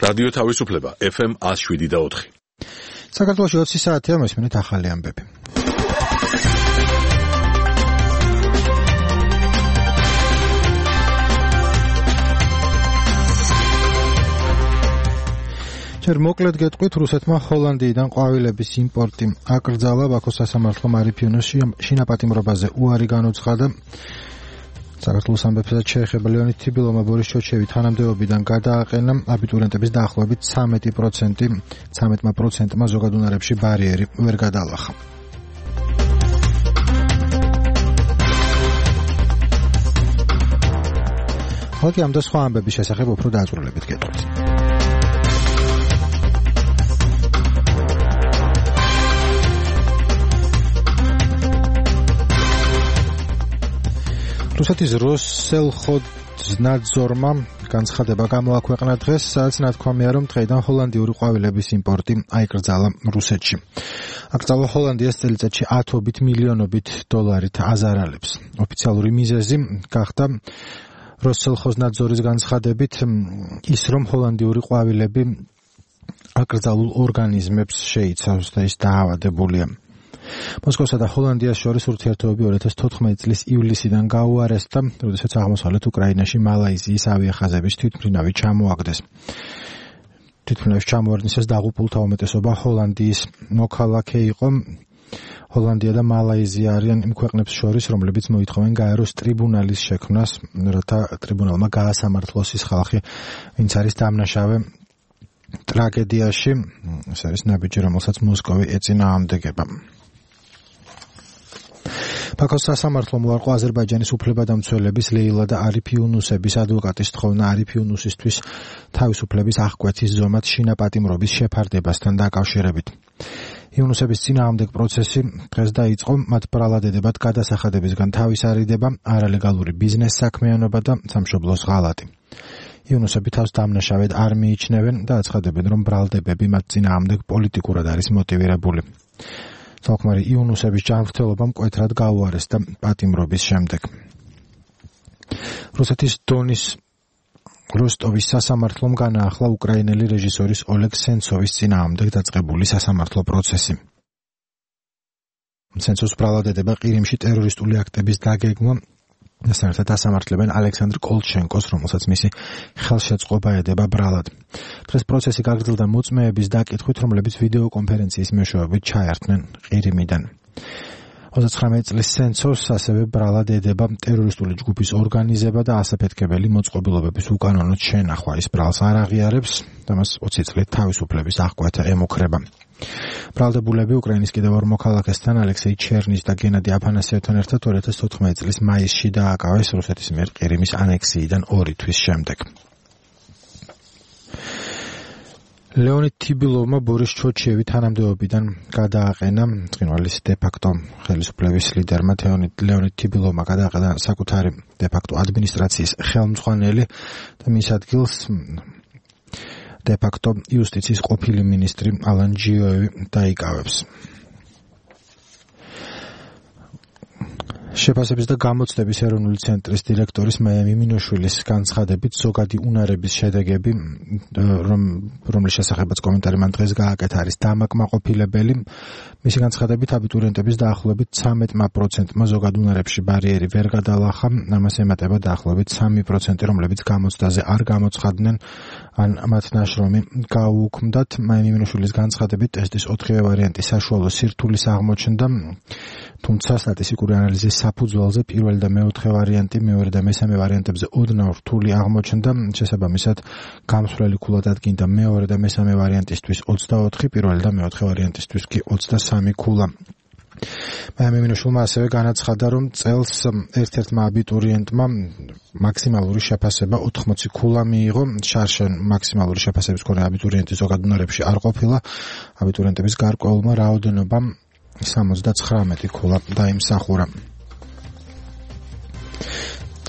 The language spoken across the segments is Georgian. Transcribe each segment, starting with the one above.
რადიო თავისუფლება FM 107.4. საქართველოში 20 საათია მოსმენით ახალი ამბები. ჯერ მოკლედ გეტყვით, რუსეთმა ჰოლანდიიდან ყვავილების იმპორტი აკრძალა. ბაქოს სასამართლომ არიფიუნოს შინაპატიმრობაზე უარი განუცხადა. საქართველოს ამბებსაც შეეხება ლეონიდ თიბილოვმა ბორის ჩოჩევი თანამდებობიდან გადააყენა. აბიტურიენტების დაახლოებით 13%-მა ზოგად უნარებში ბარიერი ვერ გადაალახა. ხალხი ამ და სხვა ამბების შესახებ უფრო დაწვრილებით გეტყვით. რუსეთის როსელხოდნადზორმა განცხადება გამოაქვეყნა დღეს, სადაც ნათქვამია, რომ დღეიდან ჰოლანდიური ყვავილების იმპორტი აიკრძალა რუსეთში. აკრძალა ჰოლანდიას წელიწადში 10-ობით მილიონობით დოლარით აზარალებს. ოფიციალური მიზეზი გახდა როსელხოდნადზორის განცხადებით ის, რომ ჰოლანდიური ყვავილები აკრძალულ ორგანიზმებს შეიცავს და ის დაავადებულია. მოსკოვსა და ჰოლანდიას შორის ურთიერთობები 2014 წლის ივლისიდან გაუარესდა, როდესაც აღმოსავლეთ უკრაინაში მალაიზიის ავიახაზების თვითმფრინავი ჩამოაგდეს. თვითმფრინავის ჩამოარდნისას დაღუპულთა უმეტესობა ჰოლანდიის მოქალაქე იყო. ჰოლანდია და მალაიზია არიან იმ ქვეყნებს შორის, რომლებიც მოითხოვენ გაეროს ტრიბუნალის შექმნას, რათა ტრიბუნალმა გაასამართლოს ის ხალხი, ვინც არის დამნაშავე ტრაგედიაში. ეს არის ნაბიჯი, რომელსაც მოსკოვი ეწინააღმდეგება. ბაქოს სასამართლომ უარყო აზერბაიჯანის უფლებადამცველების ლეილა და არიფ იუნუსების ადვოკატის თხოვნა არიფ იუნუსისთვის თავისუფლების აღკვეთის ზომად შინაპატიმრობის შეფარდებასთან დაკავშირებით. იუნუსების წინააღმდეგ პროცესი დღეს დაიწყო, მათ ბრალადედებად გადასახადებისგან თავის არიდება, არალეგალური ბიზნეს საქმიანობა და სამშობლოს ღალატი. იუნუსები თავს დამნაშავედ არ მიიჩნევენ და აცხადებენ, რომ ბრალდებები მათ წინააღმდეგ პოლიტიკურად არის მოტივირებული. თალკმარი იუნუსების ჯანმრთელობა მკვეთრად გაუარესდა პატიმრობის შემდეგ. რუსეთის დონის როსტოვის სასამართლომ განაახლა უკრაინელი რეჟისორის ოლეგ სენცოვის წინააღმდეგ დაწყებული სასამართლო პროცესი. სენცოვს ბრალადედება ყირიმში ტერორისტული აქტების დაგეგმვა საერთოდ ასამართლებენ ალექსანდრ კოლჩენკოს, რომელსაც მისი ხელშეწყობა ედება ბრალად. დღეს პროცესი გაგრძელდა მოწმეების დაკითხვით, რომლებიც ვიდეო კონფერენციის მეშვეობით ჩაერთნენ ყირიმიდან. 29 წლის სენცოვს ასევე ბრალად ედება ტერორისტული ჯგუფის ორგანიზება და ასაფეთქებელი მოწყობილობების უკანონოდ შენახვა. ის ბრალს არ აღიარებს და მას 20 წლით თავისუფლების აღკვეთა ემუქრება. ბრალდებულები უკრაინის კიდევ ორ მოქალაქესთან, ალექსეი ჩერნის და გენადი აფანასიევთან ერთად 2014 წლის მაისში დააკავეს რუსეთის მიერ ყირიმის ანექსიიდან 2 თვის შემდეგ. ლეონიდ თიბილოვმა ბორის ჩოჩევი თანამდებობიდან გადააყენა. ცხინვალის დე-ფაქტო ხელისუფლების ლიდერმა ლეონიდ თიბილოვმა გადააყენა საკუთარი დე-ფაქტო ადმინისტრაციის ხელმძღვანელი და მის ადგილს დე-ფაქტო იუსტიციის ყოფილი მინისტრი ალან ჯიოევი დაიკავებს. შეფასების და გამოცდების ეროვნული ცენტრის დირექტორის მაია მიმინოშვილის განცხადებით ზოგადი უნარების შედეგები, რომლის შესახებაც კომენტარი მან დღეს გააკეთა, არის დამაკმაყოფილებელი. მისი განცხადებით აბიტურიენტების დაახლოებით 13%-მა ზოგად უნარებში ბარიერი ვერ გადაალახა, ამას ემატება დაახლოებით 3%, რომლებიც გამოცდაზე არ გამოცხადდნენ ან მათ ნაშრომი გაუუქმდათ. მაია მიმინოშვილის განცხადებით ტესტის 4-ვე ვარიანტი საშუალო სირთულის აღმოჩნდა, თუმცა სტატისტიკური ანალიზის საფუძველზე პირველი და მეოთხე ვარიანტი, მეორე და მესამე ვარიანტებზე ოდნავ რთული აღმოჩნდა. შესაბამისად, გამსვლელი ქულა დადგინდა მეორე და მესამე ვარიანტისთვის 24, პირველი და მეოთხე ვარიანტისთვის კი 23 ქულა. მაია მიმინოშვილმა ასევე განაცხადა, რომ წელს ერთ-ერთმა აბიტურიენტმა მაქსიმალური შეფასება 80 ქულა მიიღო. შარშან მაქსიმალური შეფასების მქონე აბიტურიენტი ზოგად უნარებში არ ყოფილა. აბიტურიენტების გარკვეულმა რაოდენობამ 79 ქულა დაიმსახურა.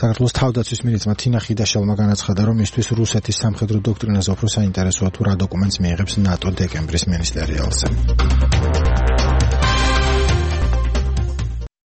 საქართველოს თავდაცვის მინისტრმა თინა ხიდაშელმა განაცხადა, რომ მისთვის რუსეთის სამხედრო დოქტრინაზე უფრო საინტერესოა თუ რა დოკუმენტს მიიღებს ნატო დეკემბრის მინისტერიალზე.